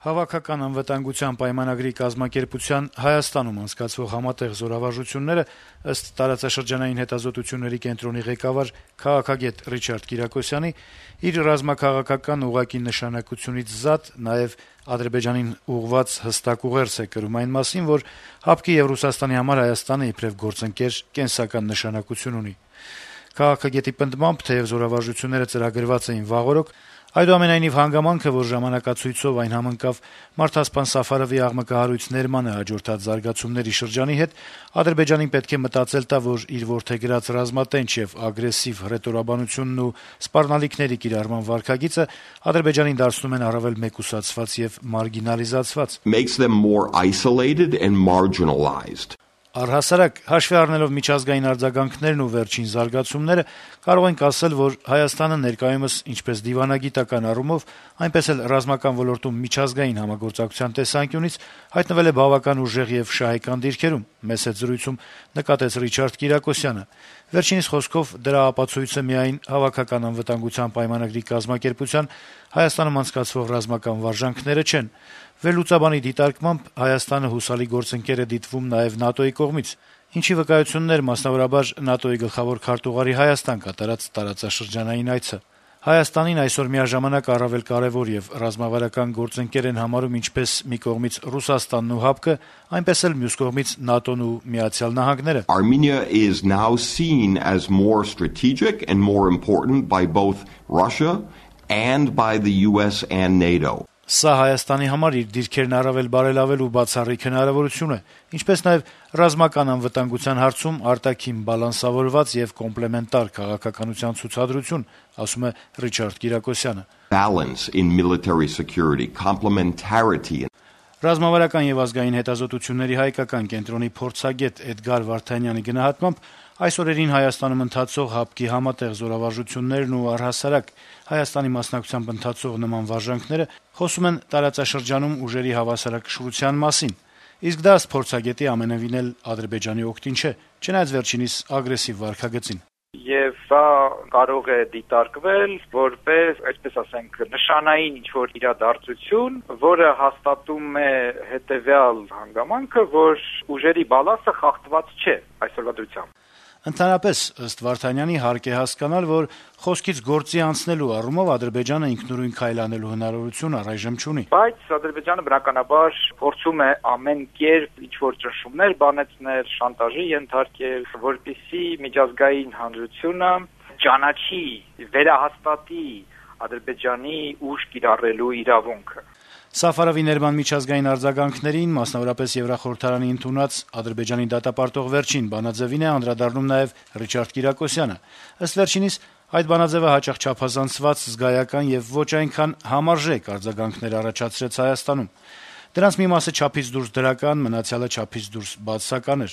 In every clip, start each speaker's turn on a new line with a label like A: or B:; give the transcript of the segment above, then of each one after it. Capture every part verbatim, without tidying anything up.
A: Հավաքական անվտանգության պայմանագրի կազմակերպության Հայաստանում անցկացվող համատեղ զորավարժությունները, ըստ տարածաշրջանային հետազոտությունների կենտրոնի ղեկավար քաղաքագետ Ռիչարդ Կիրակոսյանի, իր ռազմաքաղաքական ուղղակի նշանակությունից զատ նաեւ Ադրբեջանին ուղղված հստակ ուղերձ է կրում այն մասին, որ ՀԱՊԿ-ի եւ Ռուսաստանի համար Հայաստանը իբրեւ գործընկեր կենսական նշանակություն ունի։ Քաղաքագետի պնդմամբ, թեեւ զորավարժությունները ծրագրված էին վաղօրոք, այդուամենայնիվ հանգամանքը, որ ժամանակացույցով այն համընկավ մարդասպան Սաֆարովի աղմկահարույց ներմանը հաջորդած զարգացումների շրջանի հետ, Ադրբեջանին պետք է մտածել տա, որ իր որդեգրած ռազմատենչ եւ ագրեսիվ հռետորաբանությունն ու սպառնալիքների կիրառման վարքագիծը Ադրբեջանին դարձնում են առավել մեկուսացված եւ մարգինալիզացված։
B: Makes them more isolated and marginalized.
A: Առհասարակ, հաշվի առնելով միջազգային արձագանքներն ու վերջին զարգացումները, կարող ենք ասել, որ Հայաստանը ներկայումս ինչպես դիվանագիտական առումով, այնպես էլ ռազմական ոլորտում միջազգային համագործակցության տեսանկյունից հայտնվել է բավական ուժեղ եւ շահեկան դիրքերում, մեծ հետ զրույցում նկատեց Ռիչարդ Կիրակոսյանը։ Վերջինիս խոսքով, դրա ապացույցը միայն Հավաքական անվտանգության պայմանագրի կազմակերպության Հայաստանում անցկացվող ռազմական վարժանքները չեն։ Վերլուծաբանի դիտարկմամբ Հայաստանը հուսալի գործընկեր է դիտվում նաեւ ՆԱՏՕ-ի կողմից, ինչի վկայություններ մասնավորաբար ՆԱՏՕ-ի գլխավոր քարտուղարի Հայաստան կատարած տարածաշրջանային այցը։ Հայաստանին այսօր միաժամանակ առավել կարեւոր եւ ռազմավարական գործընկեր են համարում ինչպես մի կողմից Ռուսաստանն ու ՀԱՊԿ-ը, այնպես էլ մյուս կողմից ՆԱՏՕ-ն ու Միացյալ Նահանգները։
B: Armenia is now seen as more strategic and more important by both Russia and by the U S and NATO.
A: Սա Հայաստանի համար իր դիրքերն առավել բարելավելու բացառիկ հնարավորություն է, ինչպես նաեւ ռազմական անվտանգության հարցում արտաքին բալանսավորված եւ կոմպլեմենտար քաղաքականության ցուցադրություն, ասում է Ռիչարդ Կիրակոսյանը։
B: Balance in military security, complementarity.
A: Ռազմավարական եւ ազգային հետազոտությունների հայկական կենտրոնի փորձագետ Էդգար Վարդանյանի գնահատմամբ, այս օրերին Հայաստանում ընթացող ՀԱՊԿ-ի համատեղ զորավարժություններն ու առհասարակ Հայաստանի մասնակցությամբ ընթացող նման վարժանքները խոսում են տարածաշրջանում ուժերի հավասարակշռության մասին։ Իսկ դա ըստ փորձագետի ամենևին էլ Ադրբեջանի օգտին չէ, չնայած վերջինիս ագրեսիվ վարքագծին։
C: Եվ սա կարող է դիտարկվել որպես, այսպես ասենք, նշանային ինչ-որ իրադարձություն, որը հաստատում է հետևյալ հանգամանքը, որ ուժերի բալանսը խախտված չէ այսօրվա դրությամբ։
A: Ընդհանրապես, ըստ Վարդանյանի, հարկ է հասկանալ, որ խոսքից գործի անցնելու առումով Ադրբեջանը ինքնուրույն քայլանելու հնարավորություն առայժմ չունի։
C: Բայց Ադրբեջանը բնականաբար փորձում է ամեն կերպ ինչ-որ ճնշումներ բանեցնել, շանտաժի ենթարկել, որպեսզի միջազգային հանրությունը ճանաչի, վերահաստատի Ադրբեջանի ուժ կիրառելու իրավունքը։
A: Սաֆարովի ներման միջազգային արձագանքներին, մասնավորապես Եվրախորհրդարանի ընդունած Ադրբեջանի դատապարտող վերջին բանաձևին է անդրադառնում նաև Ռիչարդ Կիրակոսյանը։ Ըստ վերջինիս, այդ բանաձևը հաճախ չափազանցված, զգայական եւ ոչ այնքան համարժեք արձագանքներ առաջացրեց Հայաստանում։ Դրանց մի մասը չափից դուրս դրական, մնացյալը չափից դուրս բացասական էր։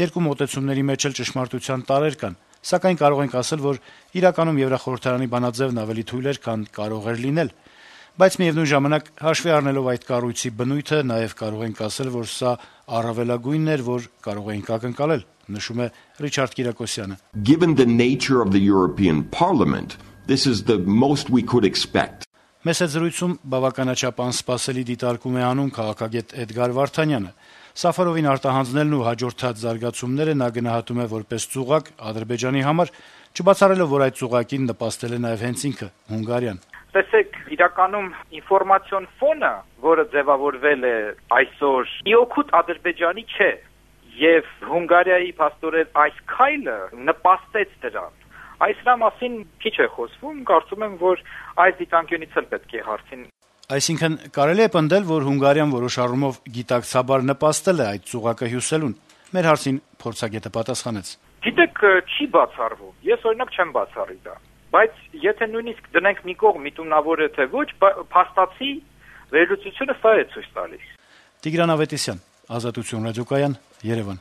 A: Երկու մոտեցումների մեջ էլ ճշմարտության տարրեր կան, սակայն կարող ենք ասել, որ իրականում Եվրախորհրդարանի բանաձևն ավելի թույլ էր, քան կարող էր լինել։ Բայց միևնույն ժամանակ, հաշվի առնելով այդ կառույցի բնույթը, նաև կարող ենք ասել, որ սա առավելագույնն էր, որ կարող էինք ակնկալել, նշում է Ռիչարդ Կիրակոսյանը։
B: Given the nature of the European Parliament, this is the most we could expect.
A: Մեծ զրույցում բավականաչափ անսպասելի դիտարկում է անում քաղաքագետ Էդգար Վարդանյանը։ Սաֆարովին արտահանձնելն ու հաջորդած զարգացումները նա գնահատում է որպես ծուղակ Ադրբեջանի համար, չբացառելով, որ այդ ծուղակին նպաստել է նաև հենց ինքը՝ Հունգարիան։
C: Տեսեք, իրականում ինֆորմացիոն ֆոնը, որը ձևավորվել է այսօր, իօքուտ Ադրբեջանի չէ, եւ Հունգարիայի փաստորեն այս քայլը նպաստեց դրան։ Այս դրա մասին քիչ է խոսվում, կարծում եմ, որ այս դիտանկյունից էլ պետք է հարցին։
A: Այսինքն, կարելի է պնդել, որ Հունգարիան որոշ առումով գիտակցաբար նպաստել է այդ ծուղակը հյուսելուն։ Մեր հարցին փորձագետը պատասխանեց.
C: Գիտեք, չի բացառվում։ Ես օրինակ չեմ բացառի դա։ Բայց եթե նույնիսկ դնենք մի կողմ միտումնավոր է թե ոչ, փաստացի վերլուծությունը սա է ցույց տալիս։
A: Տիգրան Ավետիսյան, Ազատություն ռադիոկայան, Երևան։